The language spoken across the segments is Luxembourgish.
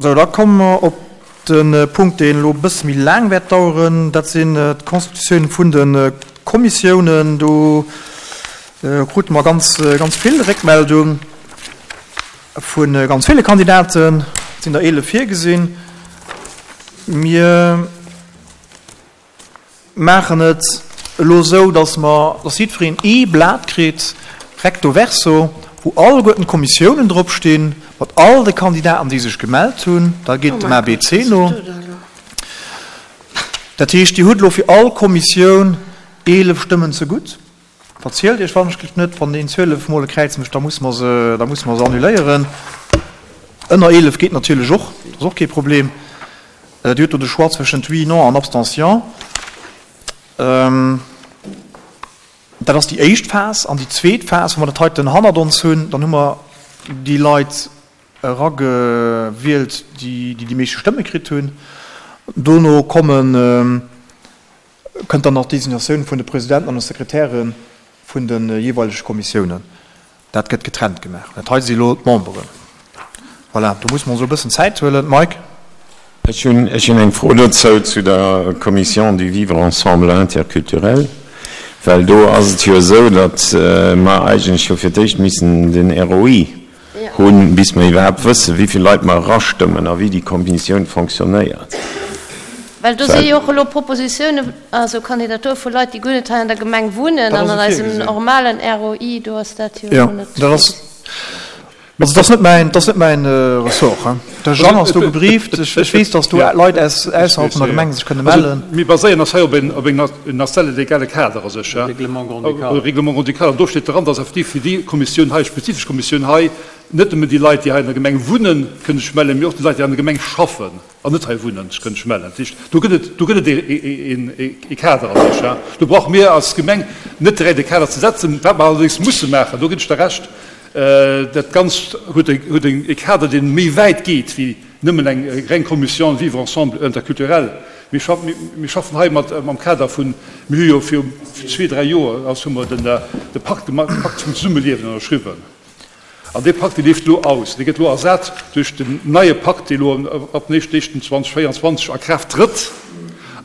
Sou, da komme mer op de Punkt, deen elo e bësse méi laang wäert daueren. Dat sinn d'Constitutioun vun de Kommissiounen. Do krute mer ganz, ganz vill Réckmeldung vu ganz ville Kandidaten. Et sinn der 11 virgesinn. Mir maachen et elo esou, dass mer, dass jiddwereen ee Blat kritt, recto verso, wou alleguerten d'Kommissiounen drop stinn, mat all de Kandidaten, déi sech gemellt hunn. Da geet et dem ABC no. Dat heescht, Dir hutt elo fir all Kommissioun 11 Stëmmen zegutt. Verzielt Iech wannechgelift net, wann een 12 mol e Kräiz mécht, da musse mer se, da musse mer se annuléieren. Ënner 11 geet natierlech och, dat ass och kee Problem. Dir hutt do de Choix zwëschent Oui, Non an Abstention. Dat ass déi éischt Phas. An déi zweet Phas, wa mer dat heiten hannert ons hunn, dann hu mer déi Leit eragewielt, déi déi meeschte Stëmme kritt hunn. Dono kommen, kënnt dann nach d'Designatioun vun de Presidenten an de Sekretäre vun de jeeweilege Kommissiounen. Dat gëtt getrennt gemaach. Dat hei si elo d'Memberen. Voilà, do musse mer ons elo e bëssen Zäit huelen. Mike? Ech hunn, ech hunn eng Fro dozou, zu der Commission du vivre ensemble interculturel, well do ass et jo esou, datt mer eigentlech jo fir d'éischt missen den ROI hunn, bis mer iwwerhaapt wëssen, wéi vill Leit mer erastëmmen a wéi déi Kommissioun fonctionnéiert. Well do si jo och elo Propositiounen, also Kandidature vu Leit, déi guer net hei an der Gemeng wunnen an an eisem normalen ROI, do ass dat jo elo net virgesinn. Also dat ass net mäin, dat ass net mäin Ressort. De Jean ass do gebrieft. Ech weess, datt do Leit aus ausserhalb vun der Gemeng sech kënne mellen. Mir baséieren eis hei op en, op en nationale legale Kader a sech, Règlement grand-ducal. Règlement grand-ducal. An do steet dran, datt effektiv fir déi Kommissioun hei, spezifesch Kommissioun hei, net nëmmen déi Leit, déi hei an der Gemeng wunnen, kënne sech mellen, mee och déi Leit, déi an der Gemeng schaffen an net hei wunnen, sech kënne mellen. Dat heescht, do gëtt et, do gëtt et e Kader a sech. Do brauche mir als Gemeng net direkt e Kader ze setzen. Wat mer allerdéngs musse maachen, do ginn ech der Recht, Dat Ganzt huet e Kader, dee méi wäit geet wéi nëmmen eng reng Commission Vivre ensemble interculturel. Mir schaffen hei mat am Kader vun, mir hu jo viru zwee, dräi Joer ass hu mer de Pakt Pakt vum Zesummeliewen ënnerschriwwen. An dee Pakt, dee leeft elo aus. Dee gëtt elo ersat duerch den neie Pakt, dee elo ab den éischten éischten 2024 a Kraaft trëtt.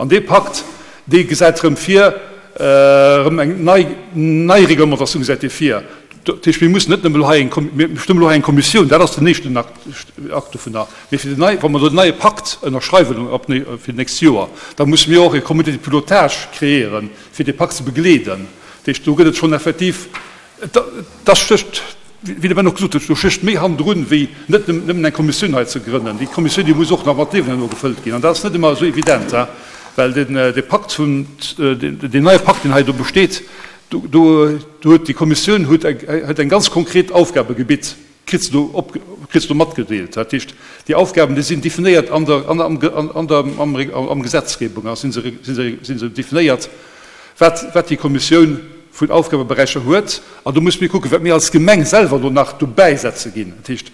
An dee Pakt, dee gesäit erëm vir, erëm eng nei nei Reglementatioun gesäit dee vir. Dat heescht, mir mussen net nëmme elo hei eng, mir stëmmen elo hei eng Kommissioun, dat ass den éischten Akt, Akt dovunner. Mee fir den nei, wa mer den neie Pakt ënnerschreiwen ab fir d'nächst Joer, da musse mir och e Comité de pilotage kreéieren, fir dee Pakt ze begleeden. Dat heescht, do gëtt et schonn effektiv, da stécht, wéi de Ben och gesot huet, do stécht méi hannendrun, wéi net nëmmen eng Kommissioun hei ze grënnen. Déi Kommissioun, déi muss och nach mat Liewen herno gefëllt ginn. An dat ass net ëmmer esou evident, well den, dee Pakt vun, deen neie Pakt, deen hei do besteet, Do huet déi Kommissioun huet eng ganz konkret Aufgabegebitt, kritt se do op, kritt se do matgedeelt. Dat heescht, déi Aufgaben, déi sinn definéiert an der, an der, an der, am, am Gesetzgebung a si se, si se, si se definéiert, wat, wat déi Kommissioun vun Aufgabeberäicher huet. An do musse mir kucken, wat mir als Gemeng selwer do nach dobäisetze ginn. Dat heescht,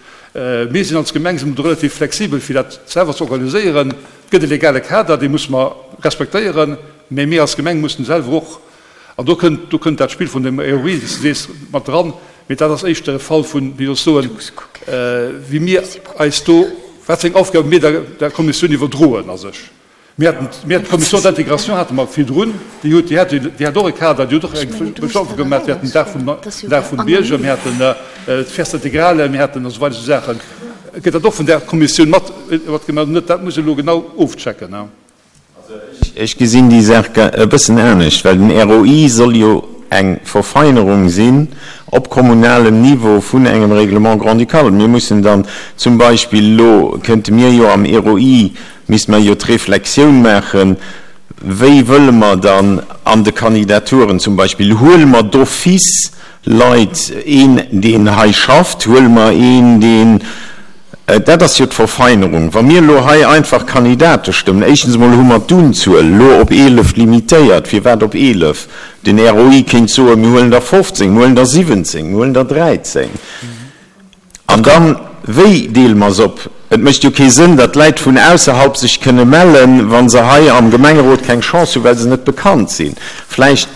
mir sinn als Gemeng si mer do relativ flexibel, fir dat selwer ze organiséieren. Et gëtt e legale Kader, dee musse mer respektéieren, mä mir als Gemeng mussen selwer och An do kënnt, do kënnt dat Spill vun dem ROI, wéi s de sees, mat dran. Mee dat ass éischter e Fall vun, wéi soll ech soen, wéi mir eis do, wat fir eng Aufgabe mir der, der Kommissioun iwwerdroen a sech. Mir haten, mir haten d'Commission d'intégration hate mer virdrun, déi huet, déi hat, déi hat och e Kader, déi huet och eng Beschaffung gemaach. Mir haten den Dag vum, den Dag vum Bierger, mir haten d'Fiesta intégrale, mir haten a sou weider esou Saachen. Gëtt dat och vun där Kommissioun mat, mat gemaach oder net? Dat muss ech elo genau ofchecken. Ech gesinn déi Saach e bëssen anescht, well den ROI soll jo eng Verfeinerung sinn op kommunalem Niveau vun engem Règlement grand-ducal. Mir mussen dann zum Beispill elo, kënnte mir jo am ROI, misste mer jo d'Reflexioun maachen, wéi wëlle mer dann an de Kandidaturen zum Beispill, huele mer d'office Leit, een deen hei schafft, huele mer een deen, dat ass jo d'Verfeinerung, wa mir elo hei einfach Kandidate stëmmen, éischtens emol hu mer d'Unzuel elo op 11 limitéiert, firwat op 11? Den ROI kéint soen, mir huelen der 15, mir huelen der 17, mir huelen der 13. An dann, wéi deele mer se op? Et mécht jo kee Sënn, datt Läit vun ausserhalb sech kënne mellen, wa se hei am Gemengerot keng Chance hunn, well se net bekannt sinn. Vläicht.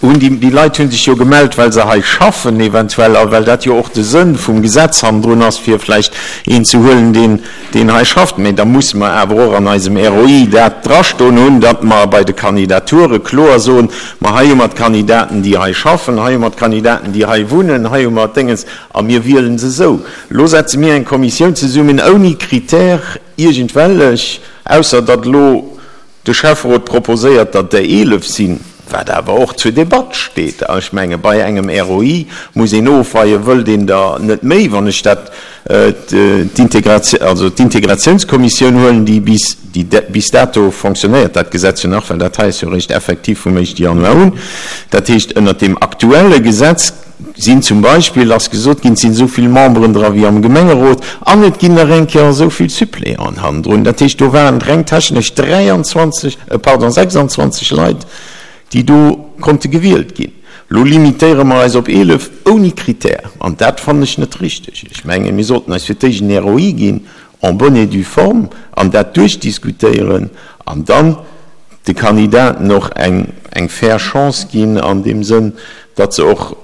Hunn déi, déi Leit hu sech jo gemellt, well se hei schaffen eventuell a well dat jo och de Sënn vum Gesetz hannendrun ass, fir vläicht een ze huelen, deen, deen hei schafft. Mä da musse mer awer och an eisem ROI dat drastoen hunn, datt mer bei de Kandidature kloer soen, Ma hei hu mer d'Kandidaten, déi hei schaffen, hei hu mer d'Kandidaten, déi hei wunnen, hei hu mer d'Déngens, a mir wiele se esou. Elo setze mir eng Kommissioun zesummen ouni Critère iergendwellech, ausser datt elo De Schäfferot proposéiert, datt der 11 sinn, wat awer och zur Debatt steet. Ech menge bei engem ROI muss een ofweien, wëllt een der net méi, wann ech dat also d'Integratiounskommissioun huelen, déi bis déi bis dato fonctionnéiert dat Gesetz jo nach, well dat hei ass jo eréischt effektiv vum éischte Januar un. Dat heescht, ënnert deem aktuelle Gesetz sinn zum Beispill, ass gesot ginn, et sinn esou vill Memberen dra wéi am Gemengerot an et ginn nach eng Kéier esou vill Suppléanten hannendrun. Dat heescht, do waren reng technesch 23, pardon, 26 Leit, déi do konnte gewielt ginn. Elo limitéiere mer eis op 11 ouni Critère an dat fannen ech net richteg. Ech mengen, mir sollten eis fir d'éischt en ROI ginn en bonne et due forme an dat duerchdiskutéieren an dann de Kandidaten och eng eng fair Chance ginn an deem Sënn, datt se och,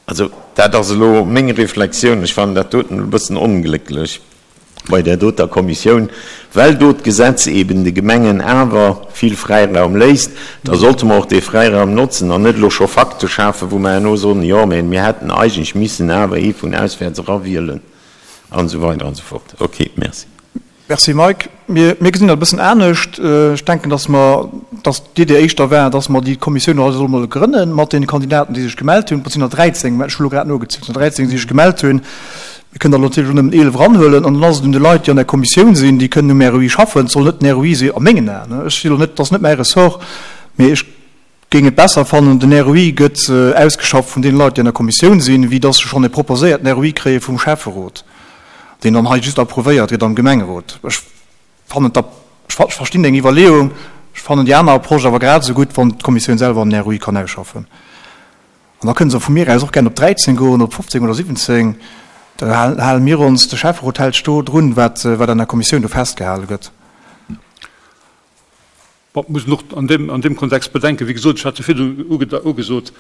also dat ass elo meng Reflexioun, ech fannen dat doten e bëssen onglécklech bei där doter Kommissioun, well do d'Gesetz eben de Gemengen awer vill Fräiraum léisst, da sollte mer och dee Fräiraum notzen an net elo scho Fakte schafen, wou mer herno soen, jo, mä mir hätten eigentlech missen awer ee vun auswäerts erawielen an esou weider an esou fort. Okay, merci. Merci Mike. Mir, mir gesinn dat e bëssen anescht. Ech denken, dass mer, dass d'Idee éischter war, dass mer déi Kommissioun och solle mol grënnen mat deene Kandidaten, déi sech gemellt hunn. Et sinn der 13, ech hu lo grad nogezielt, et sinn der 13, déi sech gemellt hunn. Mir kënnen der natierlech och nëmmen 11 eranhuelen an dann ass et un de Leit, déi an der Kommissioun sinn, déi kënnen um ROI schaffen. Et soll net den ROI si a mengen Aen, ech si lo net, dat ass net mäi Ressort, mee ech géing et besser fannen, den ROI gëtt ausgeschafft vun deene Leit, déi an der Kommissioun sinn, wéi dass se schonn e proposéierten ROI kréie vum Schäfferot, deen dann hei just approuvéiert gëtt am Gemengerot. Ech fannen d'Ap, ech verstinn deng Iwwerleeung, ech fannen déi aner Approche awer grad esou gutt, wann d'Kommissioun selwer en ROI kann ausschaffen. An da kënne se vu mir aus och gären op 13 goen, op 15 oder 17. Da hale mir ons, de Schäfferot hält sech do drun, wat an der Kommissioun do festgehale gëtt. Bon, et muss een och an deem, an deem Kontext bedenken, wéi gesot, ech hat jo virdrun ugesot,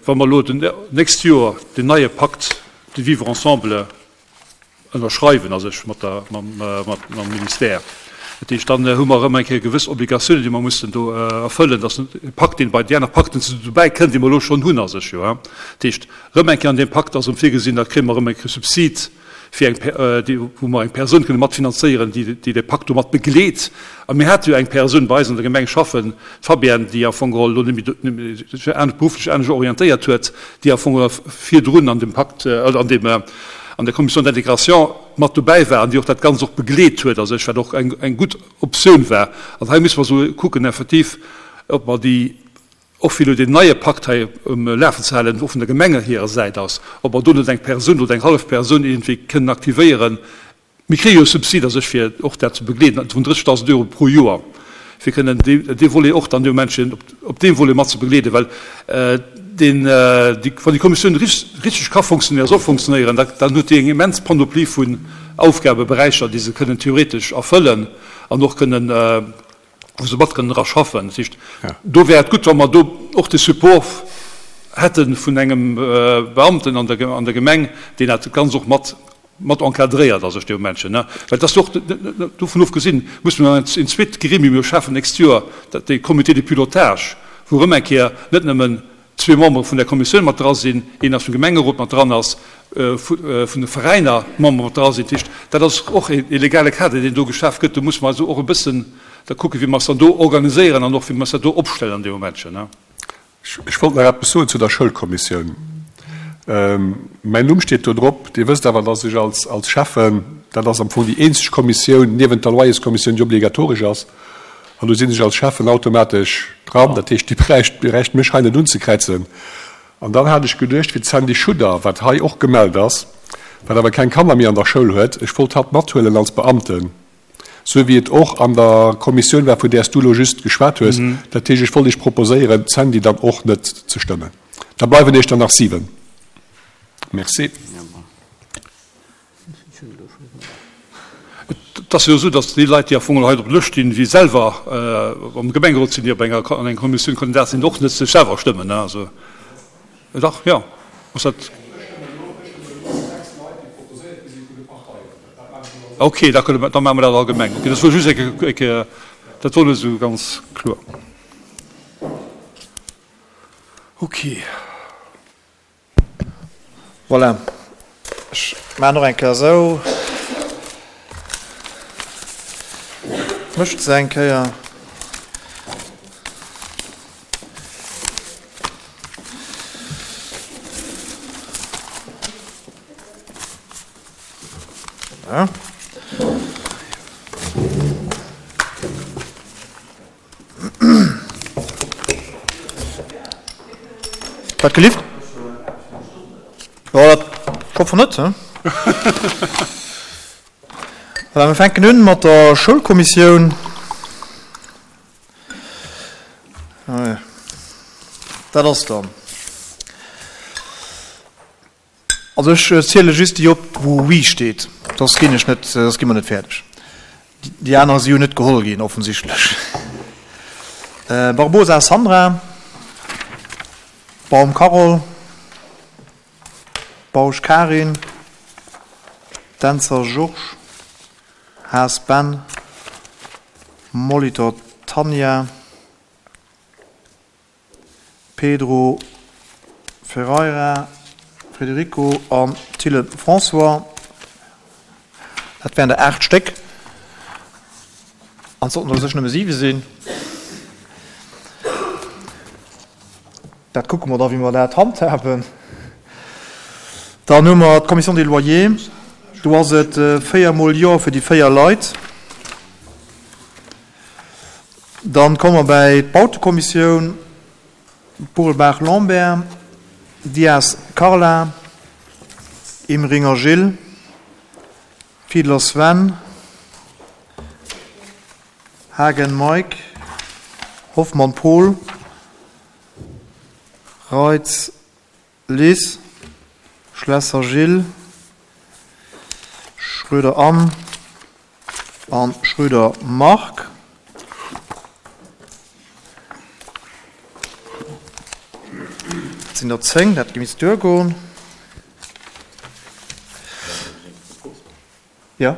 wa mer elo den nächst Joer deen neie Pakt de vivre ensemble ënnerschreiwen, a sech mat der, mam, mam Ministère, dat heescht, dann hu mer erëm eng Kéier gewëss Obligatiounen, déi mer mussen do erfëllen. Dat ass e Pakt, deen bei déi aner Pakten dobäi kënnt, déi mer elo schonn hunn a sech, jo. Dat heescht, erëm eng Kéier an deem Pakt ass erëm virgesinn, da kréie mer erëm eng Kéier Subsid, fir eng, déi, wou mer eng Persoun kënne matfinanzéieren, déi, déi de Pakt do mat begleet. A mir hate jo eng Persoun bei eis an der Gemeng schaffen, d'Fabienne, déi am Fong geholl elo net méi, sech anescht, berufflech anescht orientéiert huet, déi am Fong geholl virdrun an dem Pakt, an deem, an der Commission d'intégration mat dobäi war an déi och dat Ganzt och begleet huet a sech, wat och eng, eng gutt Optioun war. An hei musse mer esou kucken effektiv, ob mer déi, och fir elo deen neie Pakt hei um Lafen ze halen, och vun der Gemenge hirer Säit aus, ob mer do net eng Persoun oder eng hallef Persoun iergendwéi kënnen aktivéieren. Mir kréie jo e Subsid a sech, fir och dat ze begleeden, vun 30.000 Euro pro Joer, fir kënnen dee Volet och dann deementsprechend op deem Volet mat ze begleeden, well deen, wann déi Kommissioun richteg ka fonctionnéieren, soll fonctionnéieren, dann huet déi eng immens Panoplie vun Aufgabeberäicher, déi se kënnen theoretesch erfëllen an och kënnen, wou se mat kënnen dra schaffen. Dat heescht, do wär et gutt, wa mer do och de Support hätte vun engem Beamten an der, an der Gemeng, deen dat Ganzt och mat, mat encadréiert a sech dee Momentchen, ne. Well et ass jo och, dovun ofgesinn, musse mer en zweet Gremium jo schafen d'nächst Joer, dat, dee Comité de pilotage, wou erëm eng Kéier net nëmmen zwee Membere vun der Kommissioun mat dra sinn, een aus dem Gemengerot mat dran ass, vun de Veräiner Membere mat dra sinn. Dat heescht, dat ass och e legale Kader, deen do geschaf gëtt. Do musse mer also och e bëssen da kucken, wéi mer eis dann do organiséieren an och wéi mer eis dat do opstellen an deem Momentchen. Ech wollt nach eppes soen zu der Schoulkommissioun. Mäin Numm steet do drop. Dir wësst awer, dass ech als Schäffen, dat ass am Fong déi eenzeg Kommissioun niewent der Loyerskommissioun, déi obligatoresch ass, An do sinn ech als Schäffen automatesch dran. Dat heescht, Dir bräicht, bräicht mech hei net unzekräizen. An dann hat ech geduecht, fir d'Sandy Schudder, wat hei och gemellt ass, wat awer keng Kanner méi an der Schoul huet, ech wollt hatt mathuelen als Beamten, sou wéi et och an der Kommissioun war, vun där s du elo just geschwat hues. Dat heescht, ech wollt Iech proposéieren, d'Sandy dann och net ze stëmmen. Da bleiwen Iech der nach 7. Merci. Et ass jo esou, datt déi Leit, déi am Fong hei op der Lëscht stinn, déi selwer am Gemengerot sinn, déi op enger, an enger Kommissioun Kandidat sinn, och net sech selwer stëmmen. Also, dach, jo, ass dat. Ok, da kënne mer, da maache mer dat allgemeng. Ok, dat wor just eng Kéier, dat wor net esou ganz kloer. Ok. Voilà, ech maachen och eng Kéier esou. Mëscht se eng Kéier. Voilà. Wat gelift? Jo, dat hoffen net, he? Voilà, mir fänken un mat der Schoulkommissioun. Dat ass dann. Also ech ziele just déi op, wou Oui steet, soss ginn ech net, soss gi mer net fäerdeg. Déi aner si jo net geholl ginn, offensichtlech. Barbosa Sandra, Baum Carole, Bausch Karin, Dentzer Georges, Haas Ben, Molitor Tanja, Pedro Ferreira Frederico an Thillen François. Dat wären der 8 Stéck. An et sollten der u sech nëmme 7 sinn. Dat kucke mer da wéi mer dat handhaben. Dann hu mer d'Commission des loyers. Do ass et 4 mol Jo fir déi 4 Leit. Dann komme mer bäi d'Bautekommissioun, Burelbaach Lambert, Dias Carla, Emeringer Gilles, Fiedler Sven, Haagen Mike, Hoffmann Paul, Reitz Liz, Schlesser Gilles, Schroeder Anne an Schroeder Marc. Dat sinn der 10, dat misst duergoen. Jo.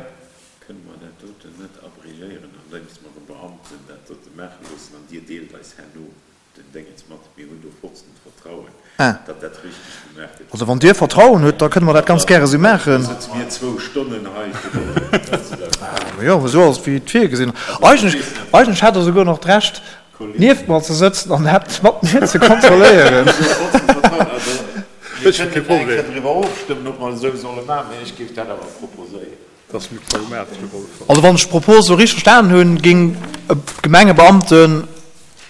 Kënne mer dat doten net abrégéieren, andeems mer e Beamten dat dote maache loossen an Dir deelt eis herno den Déngens mat, mir hunn do vollsten Vertrauen, datt dat richteg gemaach gëtt. Also wann Dir Vertrauen hutt, da kënne mer dat ganz gäre sou maachen. Da sëtze mir zwou Stonnen hei fir dat ze maachen. Jo, esou ass et wéi et virgesinn ass. Eigentlech, eigentlech hätt Der souguer nach d'Recht, nieft mer ze sëtzen an dat mat mir ze kontrolléieren. Mir kënnen eng Kéier driwwer ofstëmmen, ob mer et esou solle maachen, mee ech géif dat awer proposéieren. Also wann ech d'Propos elo richteg verstanen hunn, géing e Gemengebeamten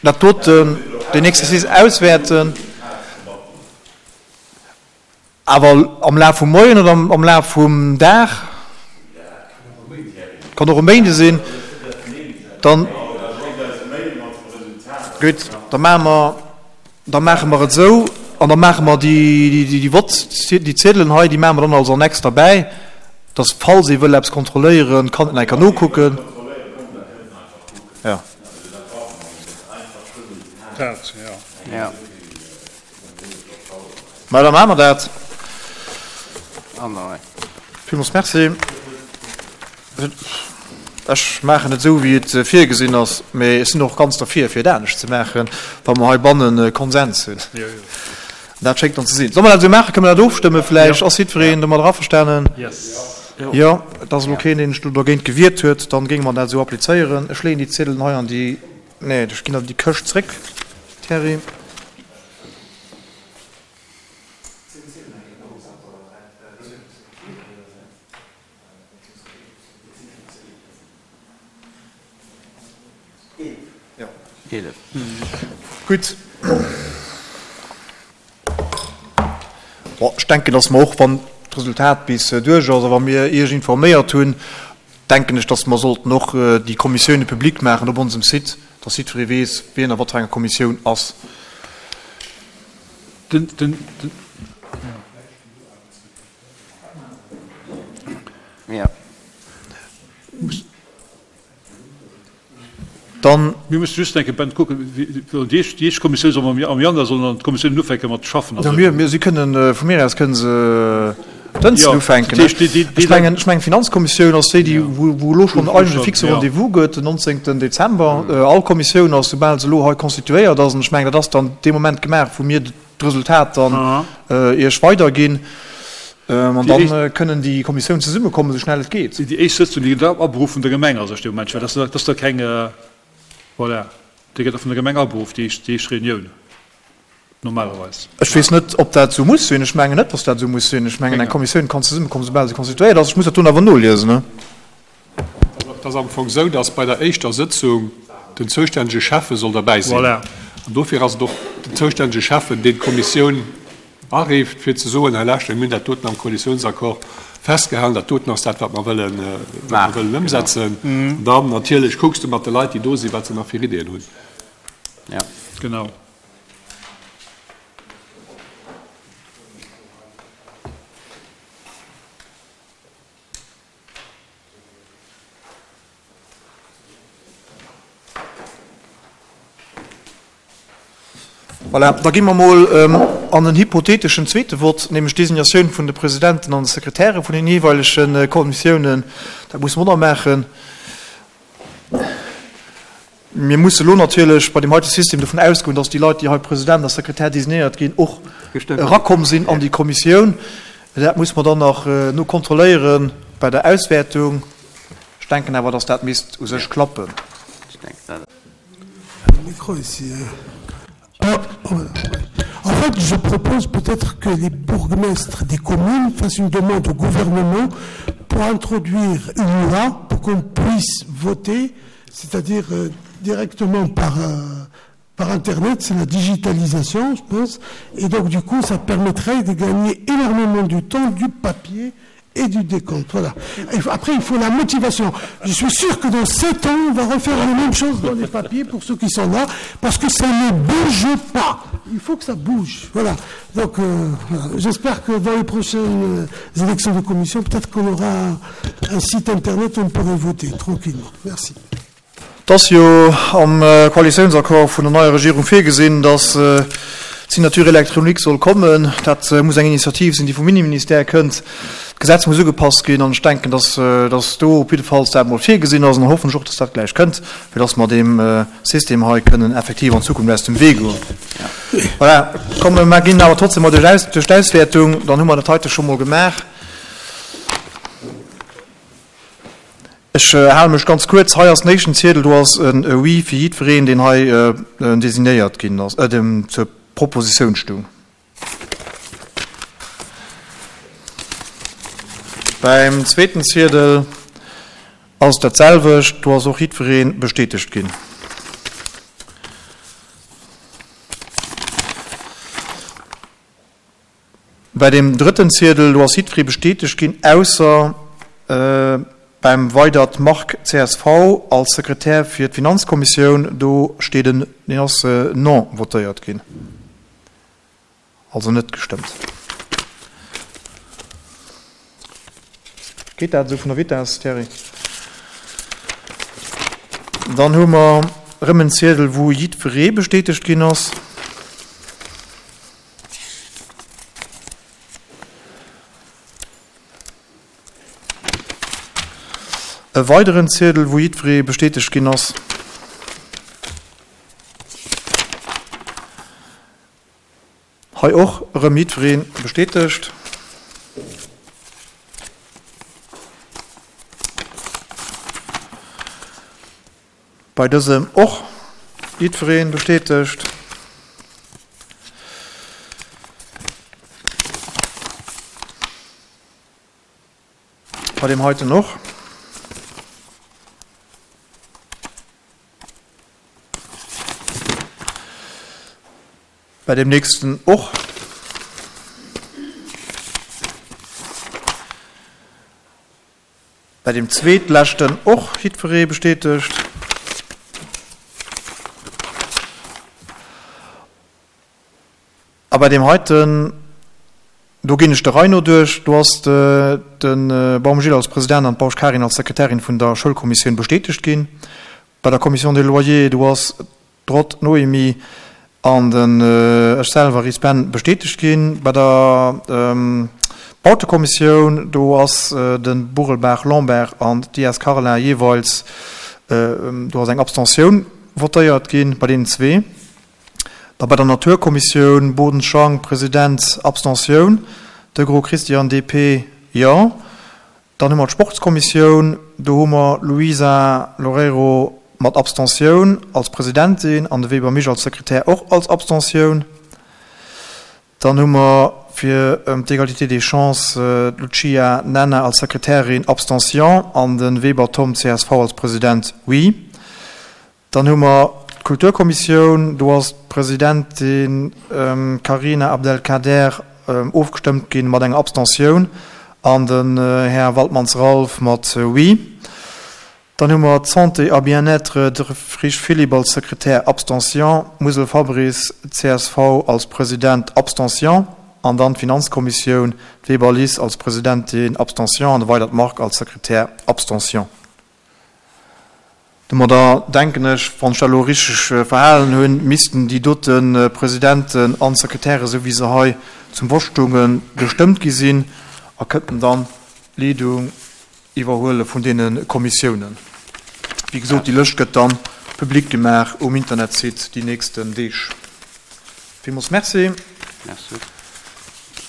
dat doten, deen Exercice auswäerten, awer am Laf vum Moien oder am Laf vum Dag, kann och e Méinde sinn, dann, gutt, da maache mer, Da maache mer et esou an da maache mer déi Vott, déi Ziedelen hei, déi maache mer dann als Annex derbäi, dass falls ee wëll eppes kontrolléieren, kann en eng Kéier nokucken. Jo. Mä da maache mer dat. Villmools Merci. Ech maachen et esou, wéi et virgesinn ass, mee ech sinn och ganz derfir, fir et anescht ze maachen, wa mer heibanne Konsens hunn. Dat schéngt dann ze sinn. Solle mer dat esou maachen? Kënne mer dat ofstëmme vläicht? Ass jiddwereen domadder averstanen? Jo. Et ass elo keen, deen sech do dergéint gewiert huet. Dann géinge mer dat esou applizéieren. Ech leeën déi Ziedelen hei an déi, nee, ech ginn der déi Këscht zréck, Thierry. Gutt. Bon, ech denken, dass mer och, wann d'Resultat bis duerch ass a wa mir Iech informéiert hunn, denken ech, dass mer sollten och déi Kommissioune public maachen op onsem Site, dass jiddweree weess, wien a wat fir enger Kommissioun ass. Den, den, den. Dann. Mir musse just enke Ben kucken, déi éischt, déi éischt Kommissioun soll am Januar sollen dann d'Kommissiounen ufänke mat schaffen. Jo, mir, mir, si kënnen, vu mir aus kënnen se dënsten ufänken. Dat heescht, déi, déi. Ech mengen, ech mengen d'Finanzkommissioun ass déi, déi, wou, wou elo schonn eigentlech e fixe Rendez-vous gëtt, den 19. Dezember. All Kommissioun ass, soubal se elo hei constituéiert ass, an ech mengen, dat ass dann dee Moment gemaach, wou mir d'Resultat dann Iech weiderginn. An da kënnen déi Kommissiounen zesummekommen, esou schnell et geet. Déi éischt Sëtzung, déi gëtt aberuff vun der Gemeng a sech dee Moment, well dat ass da keng, voilà, déi gëtt da vun der Gemeng aberuff, déi éischt Reunioun normalerweis. Ech weess net, ob dat esou muss sinn. Ech mengen net, datt dat esou muss sinn. Ech mengen, eng Kommissioun kann zesummekommen, soubal se constituéiert ass. Ech muss dat do awer noliesen. Et ass am Fong esou, dass bei der éischter Sëtzung den zoustännege Schäffe soll derbäi sinn. An dofir ass et och den zoustännege Schäffen, deen d'Kommissioun arifft, fir ze soen, Hei lauschtert, mir hunn dat doten am Koalitiounsaccord festgehalen, dat doten ass dat, wat mer wëllen, wat mer wëllen ëmsetzen. An dann natierlech kucks de mat de Leit, déi do sinn, wat se nach fir Ideeën hunn. Genau. Voilà, da gi mer emol an en hypotheteschen zweete Vott, nämlech d'Designatioun vun de Presidenten an de Sekretäre vun den jeeweilege Kommissiounen. Dat musse mer och nach maachen. Mir musse elo natierlech bei deem heite System dovun ausgoen, dass déi Leit, déi hei President a Sekretär designéiert ginn, och erakomm sinn an déi Kommissioun. Dat muss mer dann nach nokontrolléiere bei der Auswäertung. Ech denken awer, dass dat misst u sech klappen. En fait, je propose peut-être que les bourgmestres des communes fassent une demande au gouvernement pour introduire une loi pour qu'on puisse voter, c'est-à-dire euh, directement par, euh, par Internet, c'est la digitalisation, je pense. Et donc, du coup, ça permettrait de gagner énormément du temps, du papier et du décompte. Voilà. Après, il faut la motivation. Je suis sûr que dans sept ans, on va refaire la même chose dans les papiers pour ceux qui sont là, parce que ça ne bouge pas. Il faut que ça bouge. Voilà. Donc, euh, j'espère que dans les prochaines euh, élections de commission, peut-être qu'on aura un site internet où on pourrait voter tranquillement. Merci. Et ass jo am Koalitiounsaccord vun der neier Regierung virgesinn, datt d'Signature électronique soll kommen. Dat muss eng Initiativ sinn, déi vum Inneministère kënnt. D'Gesetz muss ugepasst ginn an ech denken, datt datt do op jiddefalls dat emol virgesinn ass. An da hoffen ech och, datt dat gläich kënnt, fir datt mer deem System hei kënnen effektiv an Zukunft aus dem Wee goen. Voilà, komm mer ginn awer trotzdem mol duerch d'Auswäertung, dann hu mer dat heite scho mol gemaach. Ech hale mech ganz kuerz. Hei ass den éischten Ziedel, do ass e Oui fir jiddwereen, deen hei designéiert ginn ass, dem zur Propositioun stung. Beim zweeten Ziedel ass et dat selwecht, do ass och jiddweree bestätegt ginn. Bei deem drëtten Ziedel, do ass jiddweree bestätegt ginn, ausser beim Weydert Marc, csv, als Sekretär fir d'Finanzkommissioun, do steet en, deen ass non votéiert ginn, also net gestëmmt. Geet dat esou vun der Vitess, Thierry? Dann hu mer erëm en Ziedel, wou jiddweree bestätegt ginn ass. E weideren Ziedel, wou jiddweree bestätegt ginn ass. Hei och erëm jiddweree bestätegt. Bei dësem och jiddweree bestätegt. Bei deem heiten och. Bei deem nächsten och. Bei deem zweetleschten och jiddweree bestätegt. A bei deem heiten, do ginn ech der Rei no duerch, do ass de Baum Gilles als President an d'Bausch Karin als Sekretärin vun der Schoulkommissioun bestätegt ginn. Bei der Commission des Loyers, do ass d'Roth Noémie an den ech selwer, Ries Ben, bestätegt ginn. Bei der Bautekommissioun, do ass de Burelbaach Lambert an d'Dias Carla jeeweils, do ass eng Abstentioun votéiert ginn bei deenen zwee. Da bei der Naturkommissioun, Boden Schank, President, Abstentioun, Degros Christian, DP, jo. Dann hu mer d'Sportskommissioun, do hu mer d'Luisa Loureiro mat Abstentioun als Presidentin an de Weber Misch als Sekretär och als Abstentioun. Dann hu mer fir d'Égalité des chances d'Lucia Nenna als Sekretärin, Abstention, an de Weber Tom, csv, als President, oui. Dann hu mer d'Kulturkommissioun, do ass d'Presidentin Carina Abdelkader ofgestëmmt gi mat enger Abstentioun an den Här Waldmanns Ralph mat Oui. Dann hu mer d'Santé a Bien-être, de Frisch Philippe als Sekretär, Abstention, Musel Fabrice, csv, als President, Abstention, an dann d'Finanzkommissioun, d'Weber Liz als Presidentin, Abstention, an de Weydert Marc als Sekretär, Abstention. Domadder denken ech, wann ech dat elo richteg verhalen hunn, missten déi dote Presidenten an Sekretäre esou wéi se hei zum Vott stoungen, gestëmmt gi sinn a kënnten dann d'Leedung iwwerhuele vun deene Kommissiounen. Wéi gesot, déi Lëscht gëtt dann public gemaach um Internetsite déi nächsten Deeg. Villmools Merci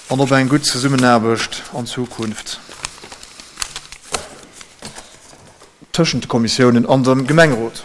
an op eng gutt Zesummenaarbecht an Zukunft. Tëschent de Kommissiounen an dem Gemengerot.